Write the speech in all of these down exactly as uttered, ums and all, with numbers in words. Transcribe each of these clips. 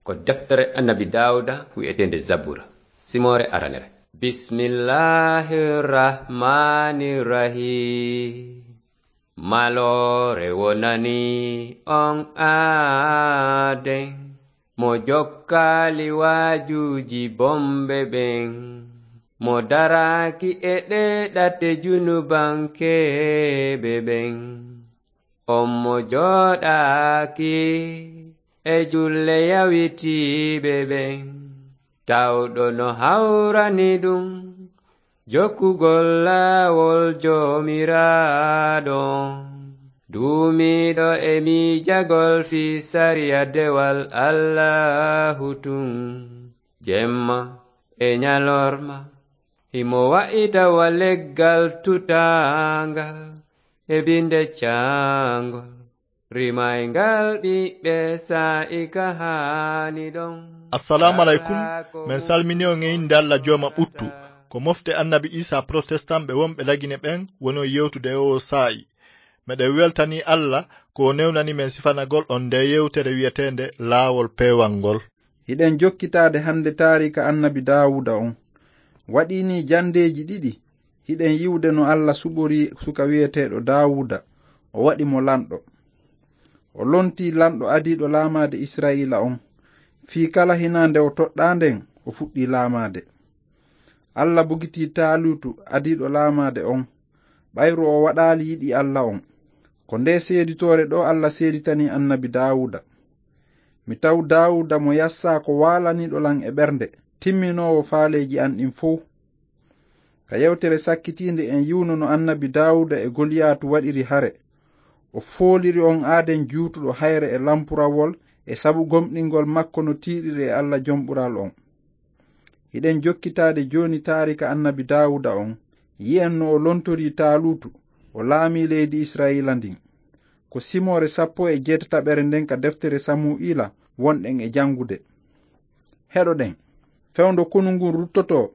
Ko deftere Annabi Daawuda wi'eteende Zabura, simoore aranere. Bismillahir Rahmanir Rahim. Maloore wonani on aaden, mo jokkaali waajuuji bomɓe ɓen, mo daraaki e ɗee ɗate junubankeeɓe ɓen. On mo jooɗaaki e julle yawitiiɓe ɓen, tawɗo no hawrani ɗum jokkugol laawol Joomiraaɗo, duumiiɗo e miijagol fii sariya dewal Allaahu tun, jemma e ñalorma. Himo wa'ita wa leggal tutaangal e binde caangol, rimayngal ɓiɓɓe saa'i ka haani ɗon. Assalamu alaikum. Men salmini on e innde Alla Jooma ɓuttu. Ko mofte Annabi Isa Protestant ɓe wonɓe Lagine ɓen woni on yewtude e oo saa'i. Meɗen weltanii Alla ko o newnani men sifanagol on ndee yewtere wi'eteende Laawol Peewal ngol. Hiɗen jokkitaade hannde taariika Annabi Daawuda on. Waɗii nii janndeeji ɗiɗi, hiɗen yi'ude no Alla suɓorii suka wi'eteeɗo Daawuda, o waɗi mo lanɗo. O lontii lanɗo adiiɗo laamaade Isra'iila on. Fii kala hinaande o toɗɗaa nden, o fuɗɗii laamaade. Alla bugitii Taaluutu adiiɗo laamaade on, ɓayru o waɗaali yiɗi Alla on. Ko ndee seeditoore ɗoo Alla seeditanii Annabi Daawuda. Mi taw Daawuda mo yassaa ko waalaniiɗo lan e ɓernde, timminoowo faaleeji an ɗin fow. Ka yewtere sakkitiinde en yi'uno no Annabi Daawuda e Goliyaatu waɗiri hare. O fooliri on aaden juutuɗo hayre e lampurawol e sabu gomɗingol makko no tiiɗiri e Alla Jom Ɓural on. Hiɗen jokkitaade jooni taariika Annabi Daawuda on, yi'en no o lontorii Taaluutu, o laamii leydi Isra'iila ndin. Ko simoore sappo e jeetataɓere nden ka deftere Samu'iila wonɗen e janngude. Heɗoɗen. Fewndo konu ngun ruttotoo,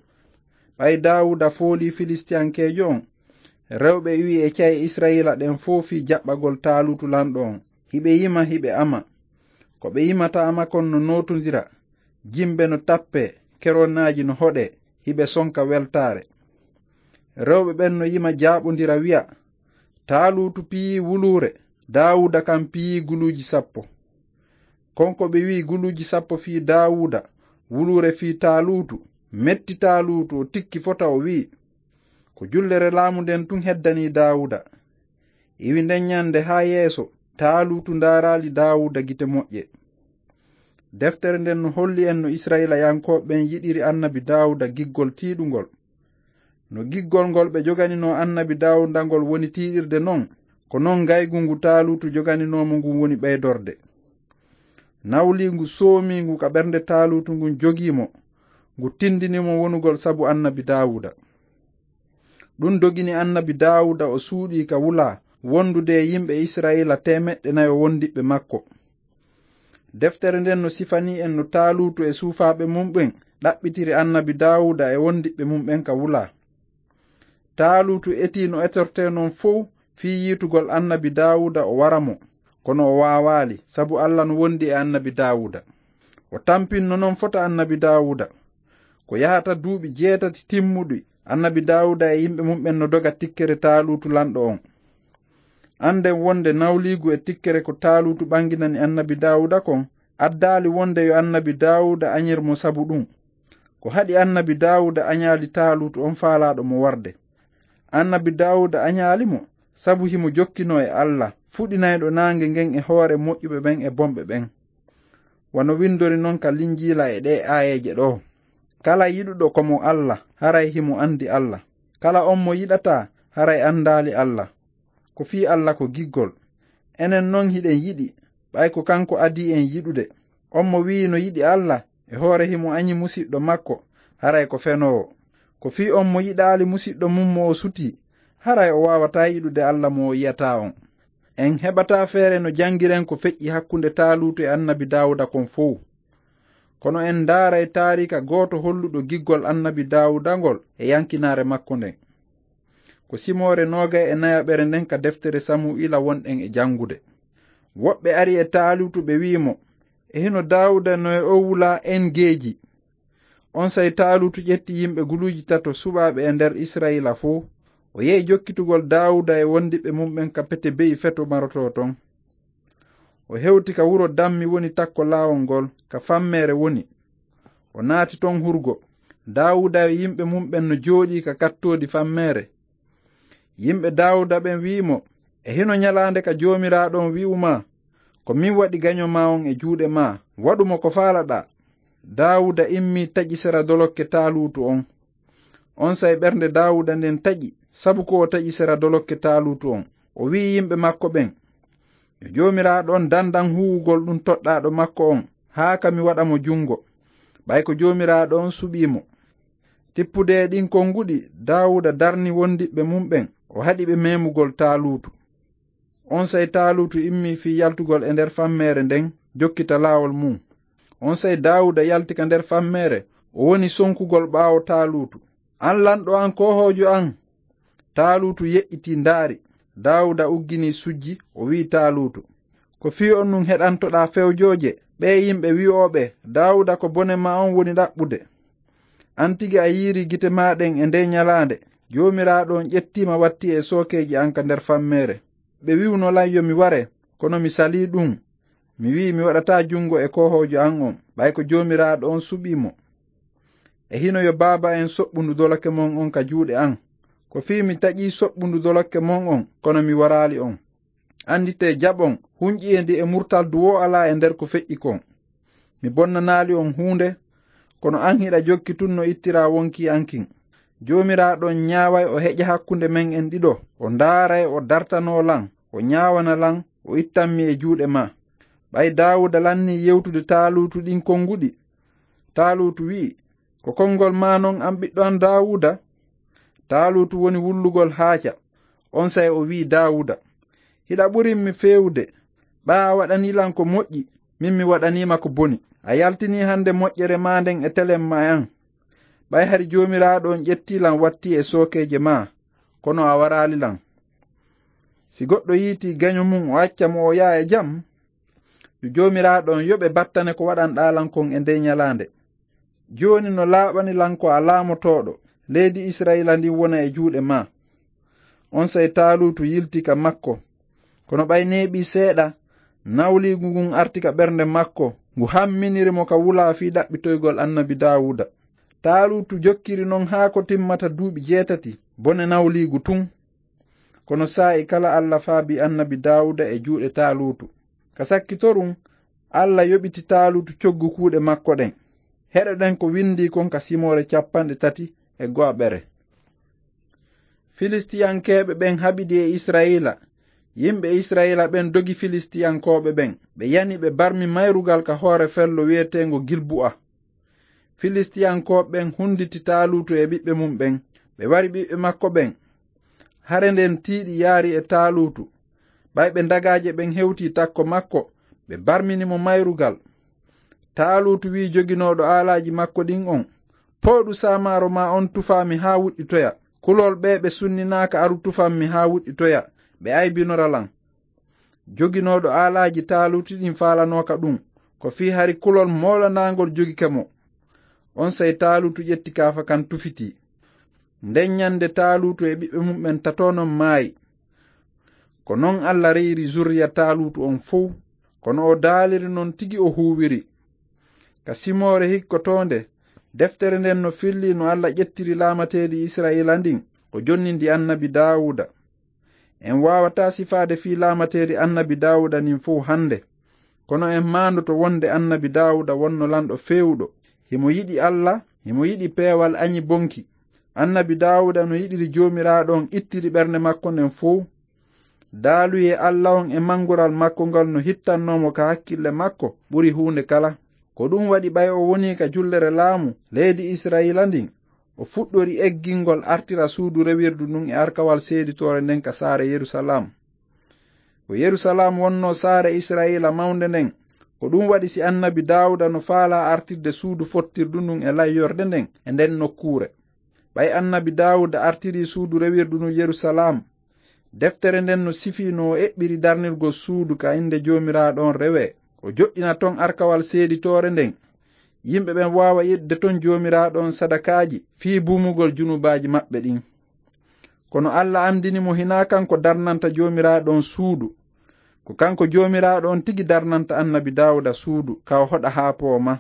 ɓay Daawuda foolii Filistiyankeejo on, rewɓe iwi e ca'e Isra'iila ɗen fow fii jaɓɓagol Taaluutu lanɗo on. Hiɓe yima, hiɓe ama. Ko ɓe yimata ama kon no nootondira, jimbe no tappee, keronaaji no hoɗee, hiɓe sonka weltaare. Rewɓe ɓen no yima jaaɓondira wi'a, "Taaluutu piyii wuluure, Daawuda kan piyii guluuji sappo." Kon ko ɓe wi'i guluuji sappo fii Daawuda, wuluure fii Taaluutu, metti Taaluutu, o tikki fota, o wi'i, "Ko jullere laamu nden tun heddanii Daawuda." Iwi nden ñande haa yeeso, Taaluutu ndaaraali Daawuda gite moƴƴe. Deftere nden no holli en no Isra'iilayankooɓe ɓen yiɗiri Annabi Daawuda giggol tiiɗungol. No giggol ngol ɓe joganinoo Annabi Daawuda ngol woni tiiɗirde non, ko non ngaygu ngu Taaluutu joganinoo mo ngun woni ɓeydorde. Nawliigu soomiingu ka ɓernde Taaluutu ngun jogii mo, ngu tindini mo wonugol sabu Annabi Daawuda. Ɗun dogini Annabi Daawuda o suuɗii ka wulaa, wondude e yimɓe Isra'iila teemeɗɗe nayo wondiɓɓe makko. Deftere nden no sifanii en no Taaluutu e suufaaɓe mun ɓen ɗaɓɓitiri Annabi Daawuda e wondiɓɓe mun ɓen ka wulaa. Taaluutu etii no etortee non fow fii yiitugol Annabi Daawuda o wara mo, kono o waawaali, sabu Alla no wondi e Annabi Daawuda. O tampinno non fota Annabi Daawuda. Ko yahata duuɓi jeetati timmuɗi, Annabi Daawuda e yimɓe mun ɓen no doga tikkere Taaluutu lanɗo on. Annden wonde nawliigu e tikkere ko Taaluutu ɓanginani Annabi Daawuda kon, addaali wonde yo Annabi Daawuda añir mo sabu ɗun. Ko haɗi Annabi Daawuda añaali Taaluutu on faalaaɗo mo warde. Annabi Daawuda añaali mo sabu himo jokkinoo e Alla, fuɗinayɗo naange ngen e hoore moƴƴuɓe ɓen e bonɓe ɓen. Wano windori non ka Linjiila e ɗee aayeeje ɗoo, "Kala yiɗuɗo ko mo Alla, haray himo andi Alla. Kala on mo yiɗataa, haray andaali Alla." Ko fii Alla ko giggol. Enen non hiɗen yiɗi, ɓay ko kanko adii en yiɗude. On mo wi'i no yiɗi Alla, e hoore himo añi musiɗɗo makko, haray ko fenoowo. Ko fii on mo yiɗaali musiɗɗo mun mo o sutii, haray o waawataa yiɗude Alla mo o yi'ataa on. En heɓataa feere no jangiren ko feƴƴi hakkunde Taaluutu e Annabi Daawuda kon fow. Kono en ndaaray taariika gooto holluɗo giggol Annabi Daawuda ngol e yankinaare makko nden. Ko simoore noogay e nayaɓere nden ka deftere Samu'iila wonɗen e jangude. Woɓɓe ari e Taaluutu, ɓe wi'i mo, E hino Daawuda no e o wula En-Geedi. Onsay Taaluutu ƴetti yimɓe guluuji tato suɓaaɓe e nder Isra'iila fow. O yehi jokkitugol Daawuda e wondiɓɓe mum ɓen ka pete be'i feto marotoo ton. O hewti ka wuro dammi woni takko laawol ngol, ka fammeere woni. O naati ton hurgo. Daawuda e yimɓe mum ɓen no jooɗii ka kattoodi fammeere. Yimɓe Daawuda ɓen wi'i mo, "E hino ɲalaande ka Joomiraaɗo on wi'u maa, 'Ko min waɗi gaɲo maa on e juuɗe maa, waɗu mo ko faalaɗaa.'" Daawuda immii taƴi sera dolokke Taaluutu on. Onsay ɓernde Daawuda nden taƴi, sabu ko o taƴi sera dolokke Taaluutu on. O wi'i yimɓe makko ɓen, "Yo Joomiraaɗo on dandan huuwugol ɗun toɗɗaaɗo makko on, haa ka mi waɗa mo jungo, ɓay ko Joomiraaɗo on suɓii mo." Tippude e ɗin konguɗi, Daawuda darni wondiɓɓe mum ɓen, o haɗi ɓe memugol Taaluutu. Onsay Taaluutu immii fii yaltugol e nder fammeere nden, jokkita laawol mum. Onsay Daawuda yalti ka nder fammeere, o woni sonkugol ɓaawo Taaluutu. "An lanɗo an, koohoojo an!" Taaluutu yeƴƴitii ndaari. Daawuda ugginii sujji, o wi'i Taaluutu, "Ko fii honɗun heɗantoɗaa fewjooje?" Ɓee yimɓe wi'ooɓe, "Daawuda ko bone maa on woni ɗaɓɓude. An tigi a yiiri gite maa ɗen e ndee ɲalaande. Joomiraaɗo on ƴettii ma watti e sookeeji an ka nder fammeere. Ɓe wi'uno lan yo mi ware, kono mi salii ɗun. Mi wi'i mi waɗataa jungo e koohoojo an on, ɓay ko Joomiraaɗo on suɓii mo. E hino yo baaba en soɓɓundu dolokke mon on ka juuɗe an. Ko fii mi taƴii soɓɓundu dolokke mon on, kono mi waraali on. Anditee jaɓon, hunƴi e ndi e murtaldu woo alaa e nder ko feƴƴi kon. Mi bonnanaali on huunde, kono an hiɗa jokki tun no ittiraa wonkii an kin. Joomiraaɗo on ɲaaway o heƴa hakkunde men en ɗiɗo, o ndaaray o dartanoo lan, o ɲaawana lan, o ittan mi e juuɗe maa." Ɓay Daawuda lannii yewtude Taaluutu ɗin konguɗi, Taaluutu wi'i, "Ko kongol maa non an ɓiɗɗo an Daawuda?" Taaluutu woni wullugol haaca. Onsay o wi'i Daawuda, "Hiɗa ɓurin mi feewude. Ɓay a waɗanii lan ko moƴƴi, min mi waɗanii ma ko boni. A yaltinii hande moƴƴere maa nden e telen maa an. Ɓay hari Joomiraaɗo on ƴettii lan watti e sookeeje maa, kono a waraali lan. Si goɗɗo yiitii gaɲo mum o acca mo o yaha e jam, yo Joomiraaɗo on yoɓe battane ko waɗanɗaa lan kon e ndee ɲalaande. Jooni no laaɓani lan ko a laamotooɗo, leydi Isra'iila ndin wona e juuɗe maa." Onsay Taaluutu yilti ka makko. Kono ɓay neeɓii seeɗa, nawliigu ngun arti ka ɓernde makko, ngu hamminiri mo ka wulaa fii ɗaɓɓitoygol annabi Daawuda. Taaluutu jokkiri non haa ko timmata duuɓi jeetati, bone nawliigu tun. Kono saa'i kala Alla faabii annabi Daawuda e juuɗe Taaluutu. Ka sakkitorun, Alla yoɓiti Taaluutu coggu kuuɗe makko ɗen. Heɗoɗen ko windii kon ka simoore cappanɗe tati e go'aɓere. Filistiyankeeɓe ɓen haɓidi e Isra'iila. Yimɓe Isra'iila ɓen dogi Filistiyankooɓe ɓen. Ɓe yani ɓe barmi mayrugal ka hoore fello wi'eteengo Gilbu'a. Filistiyankooɓe ɓen hunditi Taaluutu e ɓiɓɓe mum ɓen. Ɓe wari ɓiɓɓe makko ɓen. Hare nden tiiɗi yaari e Taaluutu. Ɓay ɓe dagaaje ɓen hewtii takko makko, ɓe barmini mo mayrugal. Taaluutu wi'i joginooɗo aalaaji makko ɗin on, "Pooɗu saamaaro maa on tufaa mi haa wuɗɗitoya. Kulol ɓee ɓe sunninaaka aru tufan mi haa wuɗɗitoya, ɓe aybinora lan." Joginooɗo aalaaji Taaluutu ɗin faalanooka ɗun, ko fii hari kulol moolanaangol jogike mo. Onsay Taaluutu ƴetti kaafa kan tufitii. Nden ɲande Taaluutu e ɓiɓɓe mum ɓen tato non maayi. Ko non Alla reyiri zurriya Taaluutu on fow. Kono o daaliri non tigi o huuwiri. Ka simoore hikkotoonde, deftere nden no fillii no Alla ƴettiri laamateeri Isra'iila ndin, o jonnindi annabi Daawuda. En waawataa sifaade fii laamateeri annabi Daawuda ndin fow hande. Kono en maandoto wonde annabi Daawuda wonno lanɗo feewuɗo. Himo yiɗi Alla, himo yiɗi peewal aɲi bonki. Annabi Daawuda no yiɗiri Joomiraaɗo on ittiri ɓernde makko nden fow. Daaluyee Alla on e mangural makko ngal no hittannoo mo ka hakkille makko ɓuri huunde kala. Ko ɗun waɗi ɓay o wonii ka jullere laamu leydi Isra'iila ndin, o fuɗɗori eggingol artira suudu rewirdu ndun e arkawal seeditoore nden ka saare Yerusalaam. Ko Yerusalaam wonnoo saare Isra'iila mawnde nden. Ko ɗun waɗi si annabi Daawuda no faalaa artirde suudu fottirdu ndun e layyorde nden e nden nokkuure. Ɓay annabi Daawuda artirii suudu rewirdu ndun Yerusalaam, deftere nden no sifii no o eɓɓiri darnirgol suudu ka innde Joomiraaɗo on rewee. O joɗɗina ton arkawal seeditoore nden. Yimɓe ɓen waawa yeɗude ton Joomiraaɗo on sadakaaji fii buumugol junubaaji maɓɓe ɗin. Kono Alla andini mo hinaa kanko darnanta Joomiraaɗo on suudu. Ko kanko Joomiraaɗo on tigi darnanta Annabi Daawuda suudu, ka o hoɗa haa pooma.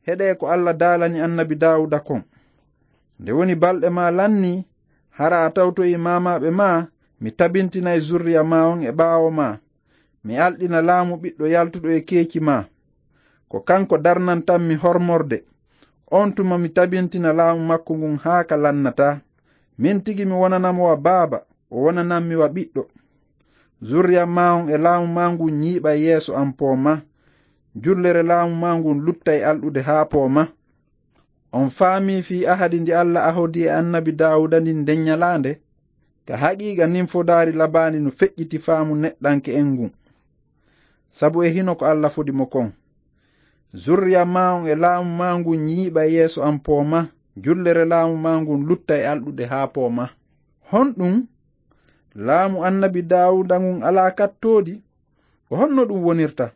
Heɗee ko Alla daalani Annabi Daawuda kon. Nde woni balɗe maa lannii, hara a tawtoyi maamaaɓe maa, mi tabintinay zurriya maa on e ɓaawo maa. Mi alɗina laamu ɓiɗɗo yaltuɗo e keeci maa. Ko kanko darnantammi hormorde. On tuma mi tabintina laamu makko ngun haa ka lannataa. Min tigi mi wonanamo wa baaba, o wonanammi wa ɓiɗɗo. Zurriya maa on e laamu maa ngun ñiiɓay yeeso an pooma. Jullere laamu maa ngun luttay alɗude haa pooma. On faamii fii ahadi ndi Alla ahodi e Annabi Daawuda ndin nden ñalaande? Ka haqiiqa nin fodaari labaandi no feƴƴiti faamu neɗɗanke en ngun. Sabu e hino ko Alla fodi mo kon. Zurriya maa on e laamu maa ngun ñiiɓay yeeso an pooma, jullere laamu maa ngun luttay alɗude haa pooma. Honɗun? Laamu Annabi Daawuda ngun alaa kattoodi? Ko honno ɗun wonirta?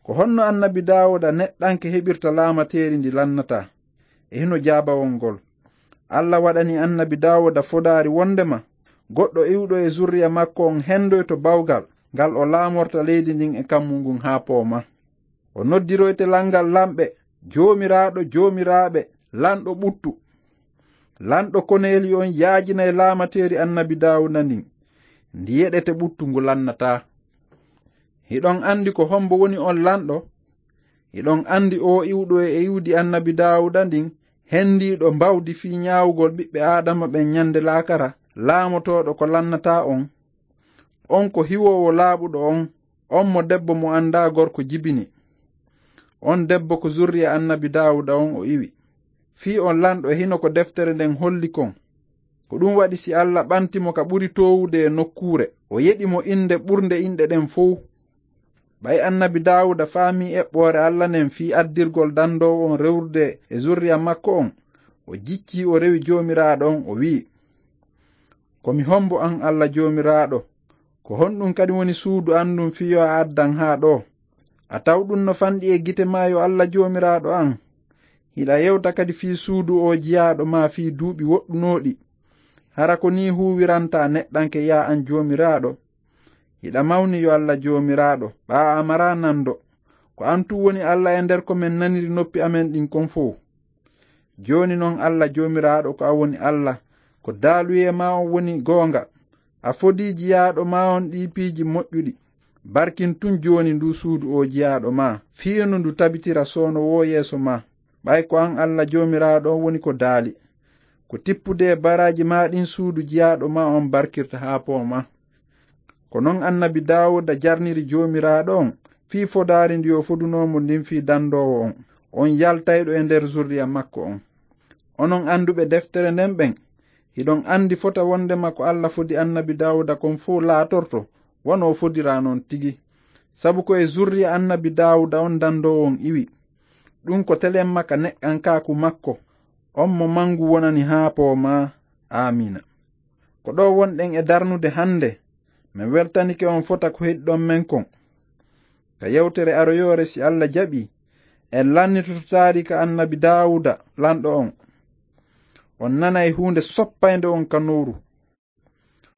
Ko honno Annabi Daawuda neɗɗanke heɓirta laamateeri ndi lannataa? E hino jaabawol ngol. Alla waɗani Annabi Daawuda fodaari wondema goɗɗo iwɗo e zurriya makko on hendoyto bawgal ngal o laamorta leydi ndin e kammu ngun haa pooma. O noddiroyte langal lamɓe, Joomiraaɗo joomiraaɓe, lanɗo ɓuttu. Lanɗo koneeli on yaajinay laamateeri Annabi Daawuda ndin. Ndi yeɗete ɓuttu ngu lannataa. Hiɗon andi ko hombo woni on lanɗo? Hiɗon andi oo iwɗo e iwdi Annabi Daawuda ndin, hendiiɗo mbawdi fii ñaawugol ɓiɓɓe Aadama ɓen ñande laakara, laamotooɗo ko lannataa on? On ko hiwoowo laaɓuɗo on, on mo debbo mo andaa gorko jibini. On debbo ko zurriya Annabi Daawuda on o iwi. Fii on lanɗo e hino ko deftere nden holli kon. Ko ɗun waɗi si Alla ɓanti mo ka ɓuri toowude e nokkuure, o yeɗi mo inde ɓurnde inɗe ɗen fow. Ɓay Annabi Daawuda faamii eɓɓoore Alla nden fii addirgol dandoowo on rewrude e zurriya makko on, o jiccii o rewi Joomiraaɗo on, o wi'i, "Ko mi hombo an Alla Joomiraaɗo? Ko honɗun kadi woni suudu an ndun fii yo a addan haa ɗoo? A taw ɗun no fanɗi e gite maa yo Alla Joomiraaɗo an? Hiɗa yewta kadi fii suudu oo jiyaaɗo maa fii duuɓi woɗɗunooɗi. Hara ko nii huuwirantaa neɗɗanke yaa an Joomiraaɗo? Hiɗa mawni yo Alla Joomiraaɗo, ɓaa a maraa nando. Ko an tun woni Alla e nder ko men naniri noppi amen ɗin kon fow. Jooni non Alla Joomiraaɗo ko an woni Alla, ko daaluyee maa on woni goonga. A fodii jiyaaɗo maa on ɗii piiji moƴƴuɗi. Barkin tun jooni nduu suudu oo jiyaaɗo maa, fii no ndu tabitira soono woo yeeso maa. Ɓay ko an Alla Joomiraaɗo on woni ko daali. Ko tippude e baraaji maa ɗin suudu jiyaaɗo maa on barkirta haa pooma." Ko non Annabi Daawuda jarniri Joomiraaɗo on fii fodaari ndi o fodunoo mo ndin fii dandoowo on, on yaltayɗo e nder zurriya makko on. Onon anduɓe deftere nden ɓen, hiɗon andi fota wondema ko Alla fodi Annabi Daawuda kon fow laatorto wano o fodiraa non tigi. Sabu ko e zurriya Annabi Daawuda on dandoowo on iwi. Ɗun ko telemma ka neɗɗankaaku makko, on mo mangu wonani haa pooma. Aamiina. Ko ɗoo wonɗen e darnude hannde, men weltanike on fota ko heɗiɗon men kon. Ka yewtere aroyoore, si Alla jaɓii, en lannitoto taariika Annabi Daawuda, lanɗo on. On nanay huunde soppaynde on ka nowru.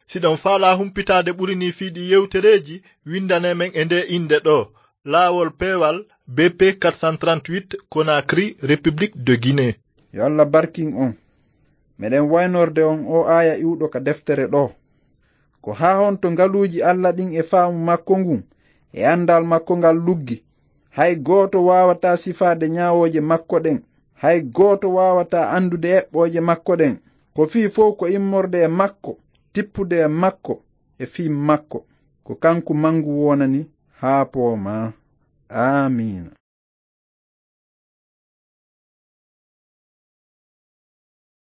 Siɗon faalaa humpitaade ɓuri nii fii ɗii yewtereeji, winndane men e ndee innde ɗoo, Laawol Peewal, B P quatre cent trente-huit, Conakry, République de Guinée. Yo Alla barkin on. Meɗen waynorde on oo aaya iwɗo ka deftere ɗoo. Ko haa honto ngaluuji Alla ɗin e faamu makko ngun e andal makko ngal luggi? Hay gooto waawataa sifaade ñaawooje makko ɗen. Hay gooto waawataa andude eɓɓooje makko ɗen. Ko fii fow ko immorde e makko, tippude e makko, e fii makko. Ko kanko mangu wonani haa poomaa. Aamiina.